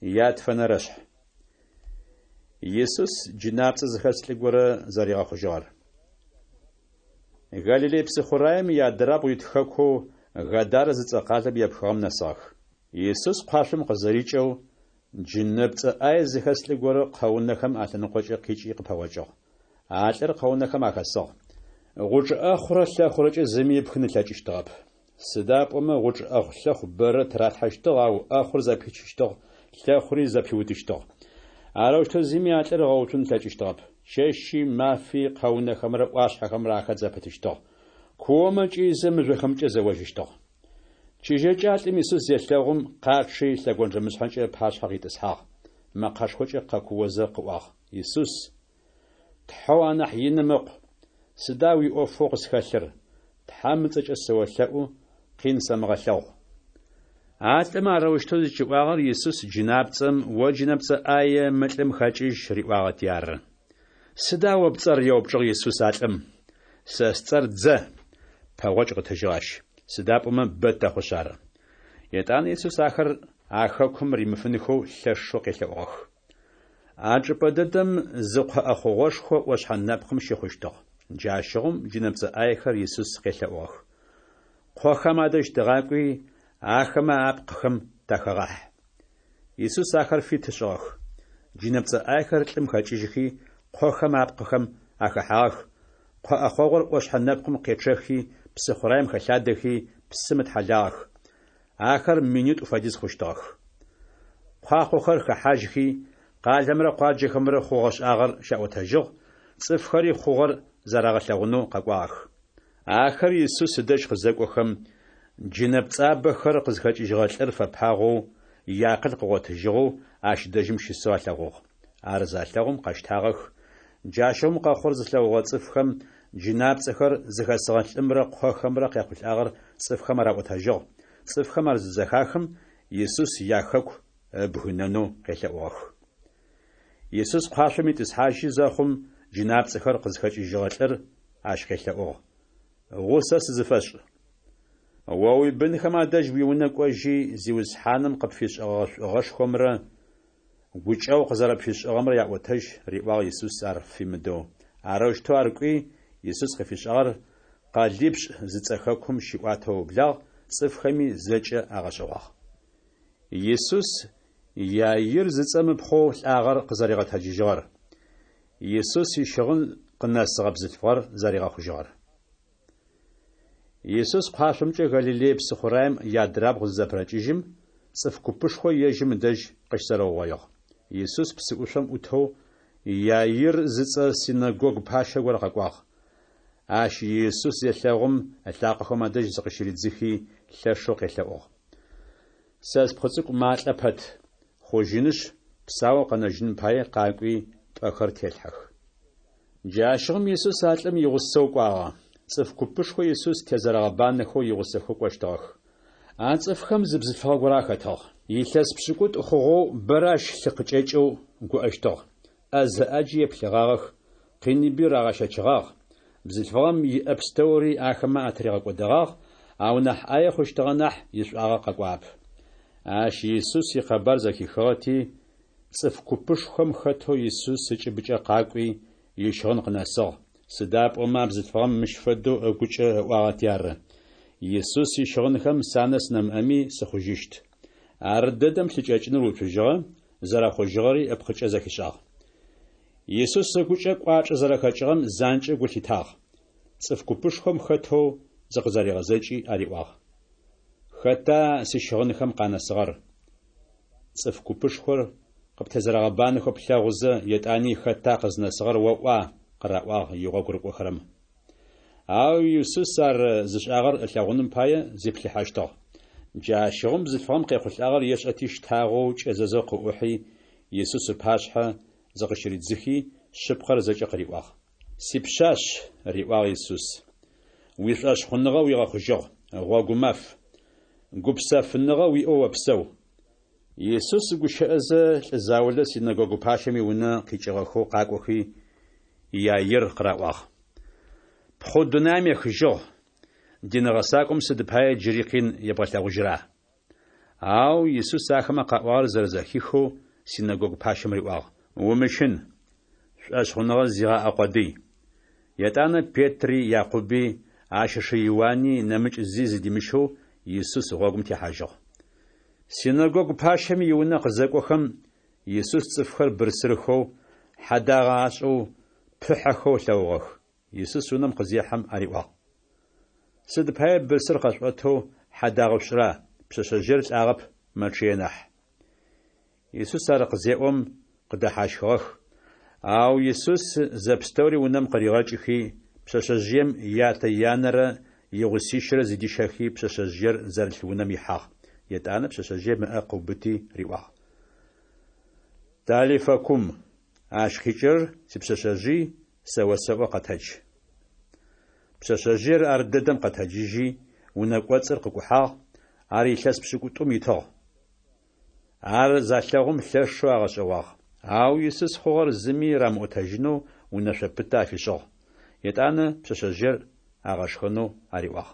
Ятфэнэрэшъхь. Исус джынапцӏэ зыхэс лӏы горэ зэригъэхъужьыгъэр. Галилей псыхъураем иадырабгъу ит хэкоу Гадарэ зыцӏэ къалэм епхыгъэм нэсыгъэх. Исус къуашъом къызэрикӏэу, джынэпцӏэ ӏае зыхэс лӏы горэ къэунэхэм алъэныкъокӏэ къикӏи къыпэгъокӏыгъ. А лӏыр къэунэхэм ахэсыгъ. Гъучӏ ӏэхъурэ лъэхъурэкӏэ зыми ыпхын ылъэкӏыщтыгъэп. Сыда пӏомэ гъучӏ ӏэхъу-лъэхъу бэрэ тыралъхьэщтыгъ, ау ӏэхъур зэпичыщтыгъ, лъэхъури зэпиутыщтыгъ. Арэущтэу зыми а лӏыр ыгъэуцун ылъэкӏыщтыгъэп. Чэщи мафи къэунэхэмрэ ӏуашъхьэхэмрэ ахэт зэпытыщтыгъ. Куомэ кӏыйзэ мыжъохэмкӏэ зэожьыщтыгъ. Чыжьэкӏэ а лӏым Исус зелъэгъум, къачъи, лъэгонджэмышъхьэкӏэ ыпашъхьэ къитӏысхьагъ. Мэкъэшхокӏэ къэкуозэ къыӏуагъ: Исус, Тхьэу анахь иным Ыкъу, сыда уиӏофэу къысхэлъыр? Тхьэм ыцӏэкӏэ сыолъэӏу, къин сэмыгъэлъэгъу. А лӏым арэущтэу зыкӏиӏуагъэр Исус джынапцӏэм, О джынэпцӏэ ӏае, мы лӏым хэкӏыжь, риӏуагъэти ары. Сыда о пцӏэр? еупчӏыгъ Исус а лӏым. Сэ сцӏэр Дзэ, пэгъокӏ къытыжьыгъ ащ, сыда пӏомэ бэ тэхъушъ ары. Етӏанэ Исус ахэр а хэкум римыфынхэу лъэшэу къелъэӏугъэх. А чӏыпӏэ дэдэм зы къо ӏэхъогъошхо ӏошъхьэ нэпкъым щыхъущтыгъ. Джащыгъум джынэпцӏэ ӏаехэр Исус къелъэӏугъэх. Къохэм адэжь тыгъакӏуи, ахэмэ апкъыхэм тахэгъахь. Исус ахэр фит ышӏыгъэх. Джынэпцӏэ ӏаехэр лӏым хэкӏыжьхи, къохэм апкъыхэм ахэхьагъэх, къо ӏэхъогъур ӏошъхьэ нэпкъым къечъэхи, псыхъураем хэлъадэхи, псым ытхьэлагъэх. Ахэр минитӏу фэдиз хъущтыгъэх. Куахъохэр хэхьажьхи, къалэмрэ къуаджэхэмрэ хъугъэ-шӏагъэр щаӏотэжьыгъ, цӏыфхэри хъугъэр зэрагъэлъэгъунэу къэкӏуагъэх. Ахэр Исус ыдэжь къызэкӏохэм, джынэпцӏабэхэр къызхэкӏыжьыгъэ лӏыр фэпагъэу, иакъыл къыгъотыжьыгъэу ащ дэжьым щысэу алъэгъугъ. Ар залъэгъум къэщтагъэх. Джащыгъум къэхъугъэр зылъэгъугъэ цӏыфхэм джынапцӏэхэр зыхэсыгъэ лӏымрэ къохэмрэ къяхъулӏагъэр цӏыфхэм араӏотэжьыгъ. Цӏыфхэм ар зызэхахым, Исус яхэку ыбгынэнэу къелъэӏугъэх. Исус куашъом итӏысхьажьы зэхъум, джынапцӏэхэр къызхэкӏыжьыгъэ лӏыр ащ къелъэӏугъ: Гъусэ сызыфэшӏ. О уибынхэм адэжь уиунэ кӏожьи, Зиусхьаным къыпфишӏэгъэ шӏугъэшхомрэ гукӏэгъу къызэрэпфишӏыгъэмрэ яӏотэжь, риӏуагъ Исус ар фимыдэу. Арэущтэу ар кӏуи, Исус къыфишӏагъэр къэлипшӏ зыцӏэ хэкум щиӏуатэу ыублагъ, цӏыфхэми зэкӏэ агъэшӏэгъуагъ. Исус Иаир зыцӏэм ыпхъоу лӏагъэр къызэригъэтэджыжьыгъэр. Исус ищыгъын къынэсыгъэ бзылъфыгъэр зэригъэхъужьыгъэр. Исус куашъомкӏэ Галилей псыхъураем иадрабгъу зызэпырэкӏыжьым, цӏыф купышхо ежьым ыдэжь къыщызэрэугъоигъ. Исус псыӏушъом ӏутэу Иаир зыцӏэ синэгогу пащэ горэ къэкӏуагъ. Ащ Исус зелъэгъум, ылъакъохэм адэжь зыкъыщыридзыхи, лъэшэу къелъэӏугъ. Сэ спхъу цӏыкӏу малӏэ пэт, хъужьынышъ, псаоу къэнэжьыным пае къакӏуи, пӏэхэр телъхьэх. Джащыгъум Исус а лӏым игъусэу кӏуагъэ. Цӏыф купышхо Исус тезэрэгъэбанэхэу игъусэхэу кӏощтыгъэх. А цӏыфхэм зы бзылъфыгъэ горэ ахэтыгъ. Илъэс пшӏыкӏутӏу хъугъэу бэрэ ащ лъы къыкӏэкӏэу гуӏэщтыгъ. ӏэзэ ӏаджи еплъыгъагъэх, къиныби рагъэщэчыгъагъ. Бзылъфыгъэм иӏэ пстэури ахэмэ атыригъэкӏодэгъагъ, ау нахь ӏае хъущтыгъэ нахь ишӏуагъэ къэкӏуагъэп. Ащ Исус икъэбар зэхихыгъэти, цӏыф купышхом хэтэу Исус ыкӏыбыкӏэ къакӏуи, ищыгъын къынэсыгъ, сыда пӏомэ а бзылъфыгъэм мыщ фэдэу ыгукӏэ ыӏуагъэти ары, Исус ищыгъынхэм санэс нэмыӏэми сыхъужьыщт. Ардэдэм лъыкӏэкӏыныр уцужьыгъэ, зэрэхъужьыгъэри ыпкъыкӏэ зэхишӏагъ. Исус ыгукӏэ кӏуачӏэ зэрэхэкӏыгъэм занкӏэу гу лъитагъ. Цӏыф купышхом хэтэу зыкъызэригъэзэкӏи ариӏуагъ. Хэта сищыгъынхэм къанэсыгъэр? Цӏыф купышхор къыптезэрэгъэбанэхэу плъэгъузэ, етӏани хэта къызнэсыгъэр оӏуа? къыраӏуагъ игъогу рыкӏохэрэм. Ау Исус ар зышӏагъэр ылъэгъуным пае зиплъыхьэщтыгъ. Джащыгъум бзылъфыгъэм къехъулӏагъэр ешӏэти щтагъэу кӏэзэзэу къыӏухьи, Исус ыпашъхьэ зыкъыщыридзыхи, шъыпкъэр зэкӏэ къыриӏуагъ. Сипшъашъ, риӏуагъ Исус, уишӏошъхъуныгъэ уигъэхъужьыгъ, гъогумаф. Гупсэфыныгъэ уиӏэу опсэу. Исус гущыӏэзэ, лӏы заулэ синэгогу пащэм иунэ къикӏыгъэхэу къакӏохи, Иаир къыраӏуагъ. Пхъу дунаим ехыжьыгъ, дин гъэсакӏом сыд пае джыри къин ебгъэлъэгъужьра? Ау Исус ахэмэ къаӏуагъэр зэрэзэхихэу, синэгогу пащэм риӏуагъ, Умыщын, шӏошъхъуныгъэ зигъаӏэ къодый. Етӏанэ Петри, Якъуби, ащ ышы Иуани нэмыкӏ зи зыдимыщэу Исус гъогум техьажьыгъ. Синэгогу пащэм иунэ къызэкӏохэм, Исус цӏыфхэр бырсырхэу, хьэдагъэ ашӏэу, пыхьэхэу ылъэгъугъэх. Исус унэм къызехьэм ариӏуагъ. Сыд пае бырсыр къэшъуӏэтэу хьэдагъэ шъушӏыра? Пшъэшъэжъыер лӏагъэп, мэчъые нахь. Исус ар къызеӏом, къыдэхьащхыгъэх. Ау Исус зэпстэури унэм къыригъэкӏыхи, пшъэшъэжъыем ятэ-янэрэ игъусищырэ зыдищэхи, пшъэшъэжъыер зэрылъ унэм ихьагъ. Етӏанэ пшъэшъэжъыем ыӏэ къыубыти риӏуагъ. Талифа кум, ащ къикӏырэр сипшъэшъэжъый, сэ осэӏо къэтэдж. Пшъэшъэжъыер ар дэдэм къэтэджыжьи, унэ кӏоцӏыр къыкӏухьагъ, ар илъэс пшӏыкӏутӏум итыгъ. Ар залъэгъум лъэшэу агъэшӏэгъуагъ. Ау Исус хъугъэр зыми рамыӏотэжьынэу унэшъо пытэ афишӏыгъ. Етӏанэ пшъэшъэжъыер агъэшхэнэу ариӏуагъ.